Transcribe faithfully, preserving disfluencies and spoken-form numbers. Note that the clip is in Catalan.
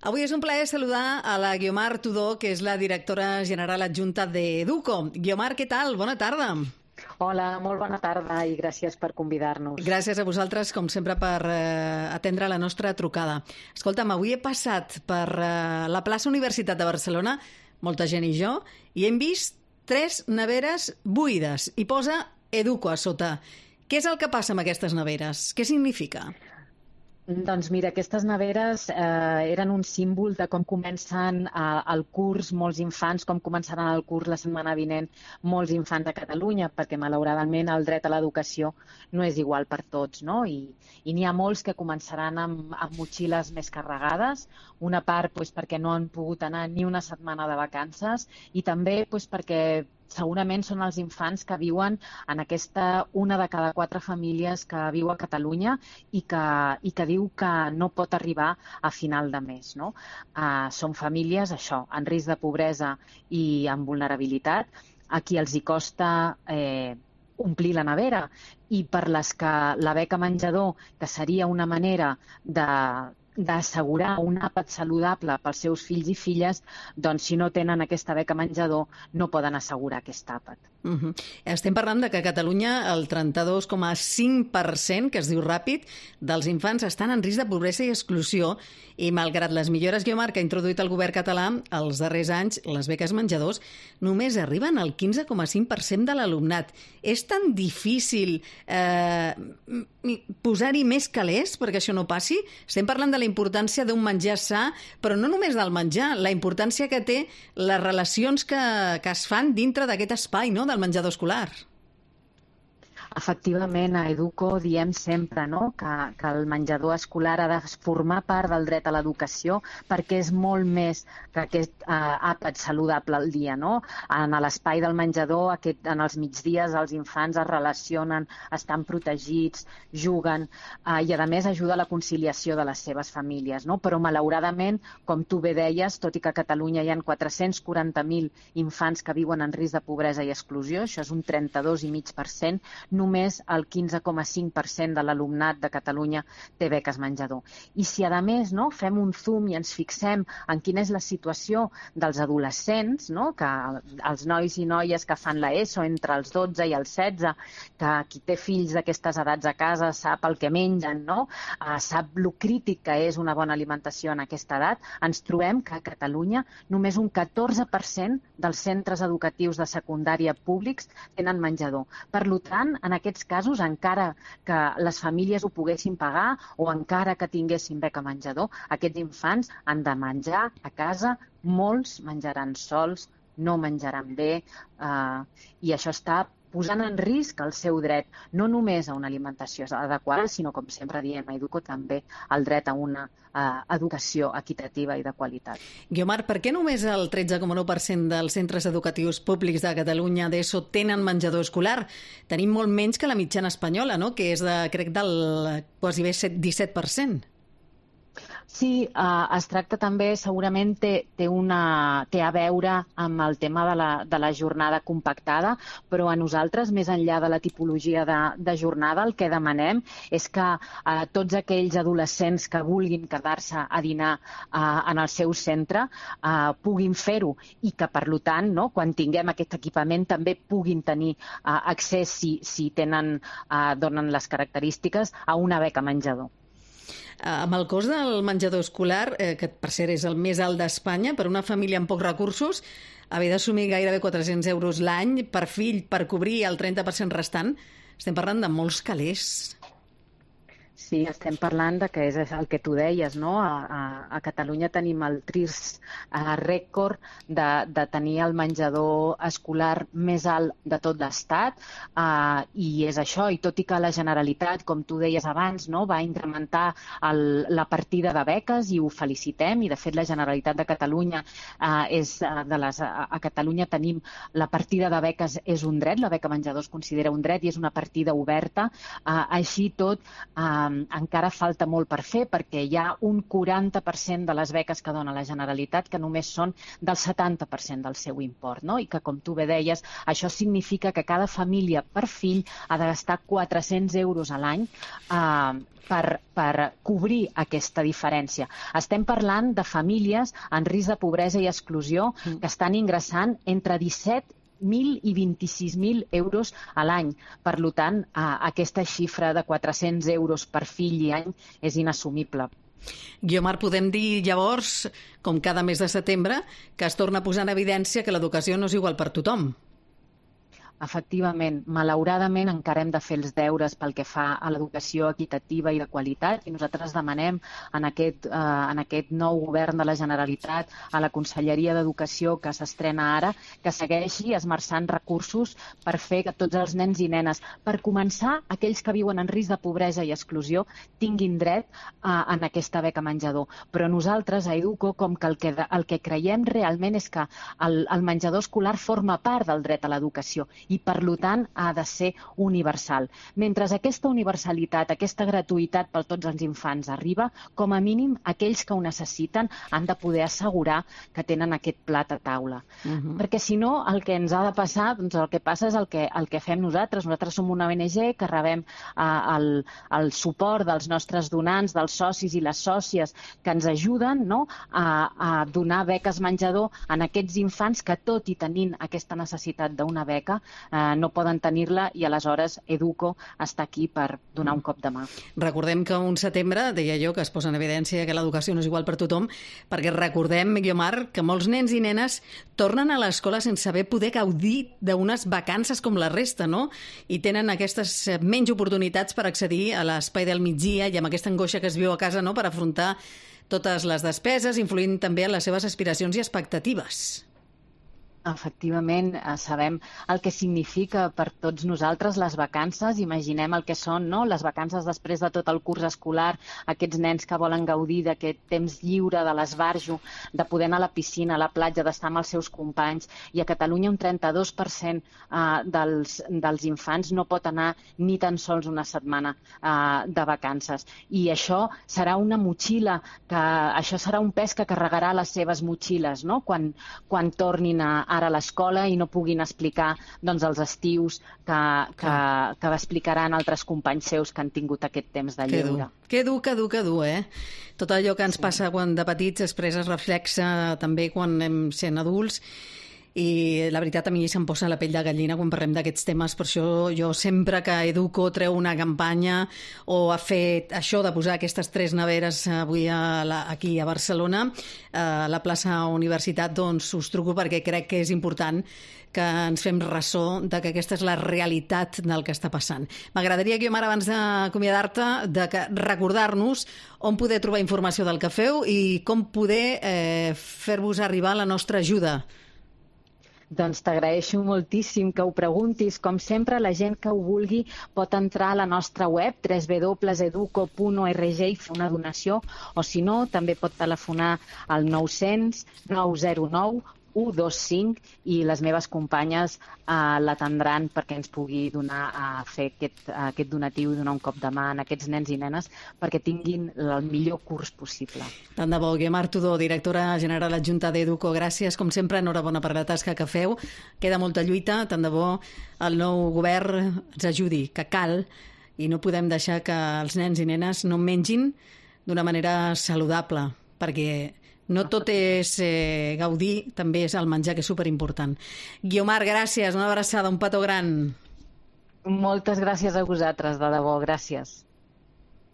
Avui és un plaer saludar a la Guiomar Tudó, que és la directora general adjunta d'Educo. Guiomar, què tal? Bona tarda. Hola, molt bona tarda i gràcies per convidar-nos. Gràcies a vosaltres, com sempre, per eh, atendre la nostra trucada. Escolta'm, avui he passat per eh, la plaça Universitat de Barcelona, molta gent i jo, i hem vist tres neveres buides i posa Educo a sota. Què és el que passa amb aquestes neveres? Què significa? Doncs mira, aquestes neveres eh, eren un símbol de com comencen eh, el curs molts infants, com començaran el curs la setmana vinent molts infants a Catalunya, perquè malauradament el dret a l'educació no és igual per tots, no? I, i n'hi ha molts que començaran amb, amb motxilles més carregades, una part doncs, perquè no han pogut anar ni una setmana de vacances i també doncs, perquè segurament són els infants que viuen en aquesta una de cada quatre famílies que viu a Catalunya i que, i que diu que no pot arribar a final de mes. No? Uh, són famílies, això, en risc de pobresa i amb vulnerabilitat, a qui els hi costa eh, omplir la nevera i per les que la beca menjador, que seria una manera de d'assegurar un àpat saludable pels seus fills i filles, doncs si no tenen aquesta beca menjador no poden assegurar aquest àpat. Uh-huh. Estem parlant de que a Catalunya el trenta-dos coma cinc per cent, que es diu ràpid, dels infants estan en risc de pobresa i exclusió i malgrat les millores, Guiomar, que ha introduït el govern català els darrers anys, les beques menjadors només arriben al quinze coma cinc per cent de l'alumnat. És tan difícil eh, posar-hi més calés perquè això no passi? Estem parlant de la importància d'un menjar sa, però no només del menjar, la importància que té les relacions que, que es fan dintre d'aquest espai, no?, del menjador escolar. Efectivament, a Educo diem sempre no? que, que el menjador escolar ha de formar part del dret a l'educació perquè és molt més que aquest eh, àpat saludable al dia. No? En l'espai del menjador, aquest, en els migdies, els infants es relacionen, estan protegits, juguen eh, i, a més, ajuda a la conciliació de les seves famílies. No? Però, malauradament, com tu bé deies, tot i que a Catalunya hi ha quatre-cents quaranta mil infants que viuen en risc de pobresa i exclusió, això és un trenta-dos coma cinc per cent, només el quinze coma cinc per cent de l'alumnat de Catalunya té beques menjador. I si, a més, no, fem un zoom i ens fixem en quina és la situació dels adolescents, no, que els nois i noies que fan l'ESO entre els dotze i els setze, que qui té fills d'aquestes edats a casa sap el que mengen, no, uh, sap lo crític que és una bona alimentació en aquesta edat, ens trobem que a Catalunya només un catorze per cent dels centres educatius de secundària públics tenen menjador. Per tant, en aquests casos, encara que les famílies ho poguessin pagar o encara que tinguessin beca menjador, aquests infants han de menjar a casa, molts menjaran sols, no menjaran bé, eh, i això està posant en risc el seu dret, no només a una alimentació adequada, sinó, com sempre diem a Educo, també el dret a una eh, educació equitativa i de qualitat. Guiomar, per què només el tretze coma nou per cent dels centres educatius públics de Catalunya d'ESO tenen menjador escolar? Tenim molt menys que la mitjana espanyola, no?, que és, de, crec, del quasi bé disset per cent. Sí, eh, es tracta també, segurament té, té, una, té a veure amb el tema de la, de la jornada compactada, però a nosaltres, més enllà de la tipologia de, de jornada, el que demanem és que eh, tots aquells adolescents que vulguin quedar-se a dinar eh, en el seu centre eh, puguin fer-ho i que, per tant, no, quan tinguem aquest equipament també puguin tenir eh, accés, si, si tenen, eh, donen les característiques, a una beca menjador. Amb el cost del menjador escolar, eh, que per cert és el més alt d'Espanya, per una família amb pocs recursos, haver d'assumir gairebé quatre-cents euros l'any per fill per cobrir el trenta per cent restant, estem parlant de molts calés. Sí, estem parlant de que és el que tu deies, no? A, a, a Catalunya tenim el trist uh, rècord de, de tenir el menjador escolar més alt de tot l'Estat uh, i és això, i tot i que la Generalitat, com tu deies abans, no, va incrementar el, la partida de beques i ho felicitem, i de fet la Generalitat de Catalunya uh, és uh, de les, a, a Catalunya tenim la partida de beques és un dret, la beca menjador es considera un dret i és una partida oberta, uh, així tot uh, eh, encara falta molt per fer, perquè hi ha un quaranta per cent de les beques que dona la Generalitat que només són del setanta per cent del seu import, no? I que, com tu bé deies, això significa que cada família per fill ha de gastar quatre-cents euros a l'any eh, per, per cobrir aquesta diferència. Estem parlant de famílies en risc de pobresa i exclusió que estan ingressant entre disset mil i vint-i-sis mil euros a l'any. Per tant, aquesta xifra de quatre-cents euros per fill i any és inassumible. Guiomar, podem dir llavors, com cada mes de setembre, que es torna a posar en evidència que l'educació no és igual per tothom. Efectivament, malauradament encara hem de fer els deures pel que fa a l'educació equitativa i de qualitat i nosaltres demanem en aquest, eh, en aquest nou govern de la Generalitat, a la Conselleria d'Educació que s'estrena ara, que segueixi esmerçant recursos per fer que tots els nens i nenes, per començar, aquells que viuen en risc de pobresa i exclusió, tinguin dret eh, en aquesta beca menjador. Però nosaltres, a Educo, com que el que, el que creiem realment és que el, el menjador escolar forma part del dret a l'educació i, per tant, ha de ser universal. Mentre aquesta universalitat, aquesta gratuïtat per tots els infants arriba, com a mínim, aquells que ho necessiten han de poder assegurar que tenen aquest plat a taula. Uh-huh. Perquè, si no, el que ens ha de passar, doncs el que passa és el que, el que fem nosaltres. Nosaltres som una O N G que rebem eh, el, el suport dels nostres donants, dels socis i les sòcies que ens ajuden, no?, a, a donar beques menjador en aquests infants que, tot i tenint aquesta necessitat d'una beca, Eh, no poden tenir-la i aleshores Educo està aquí per donar un cop de mà. Recordem que un setembre, deia jo, que es posa en evidència que l'educació no és igual per tothom, perquè recordem, Guiomar, que molts nens i nenes tornen a l'escola sense haver poder gaudir d'unes vacances com la resta, no? I tenen aquestes menys oportunitats per accedir a l'espai del migdia i amb aquesta angoixa que es viu a casa, no?, per afrontar totes les despeses, influint també en les seves aspiracions i expectatives. Efectivament, sabem el que significa per tots nosaltres les vacances. Imaginem el que són, no?, les vacances després de tot el curs escolar, aquests nens que volen gaudir d'aquest temps lliure, de l'esbarjo, de poder anar a la piscina, a la platja, d'estar amb els seus companys. I a Catalunya un trenta-dos per cent eh, dels, dels infants no pot anar ni tan sols una setmana eh, de vacances. I això serà una motxilla, que, això serà un pes que carregarà les seves motxilles, no?, quan, quan tornin a ara a l'escola i no puguin explicar, doncs, els estius que, que, que explicaran altres companys seus que han tingut aquest temps de lleure. Que dur, que dur, que dur, eh? Tot allò que ens sí. passa quan de petits després es reflexa també quan anem sent adults. I la veritat, a mi se'm posa la pell de gallina quan parlem d'aquests temes. Per això jo sempre que Educo treu una campanya o ha fet això de posar aquestes tres neveres avui a la, aquí a Barcelona, a la plaça Universitat, doncs us truco perquè crec que és important que ens fem ressò de que aquesta és la realitat del que està passant. M'agradaria, Guiomar, abans d'acomiadar-te, de que recordar-nos on poder trobar informació del que feu i com poder eh, fer-vos arribar la nostra ajuda. Doncs t'agraeixo moltíssim que ho preguntis. Com sempre, la gent que ho vulgui pot entrar a la nostra web w w w punt educo punt org i fer una donació, o si no, també pot telefonar al nou cents nou zero nou u dos cinc i les meves companyes eh, l'atendran perquè ens pugui donar a fer aquest, aquest donatiu i donar un cop de mà a aquests nens i nenes perquè tinguin el millor curs possible. Tant de bo. Guiomar Tudó, directora general adjunta d'Educo, gràcies. Com sempre, enhorabona per la tasca que feu. Queda molta lluita, tant de bo el nou govern ens ajudi, que cal, i no podem deixar que els nens i nenes no mengin d'una manera saludable, perquè no tot és eh, gaudir, també és el menjar, que és superimportant. Guiomar, gràcies, una abraçada, un petó gran. Moltes gràcies a vosaltres, de debò, gràcies.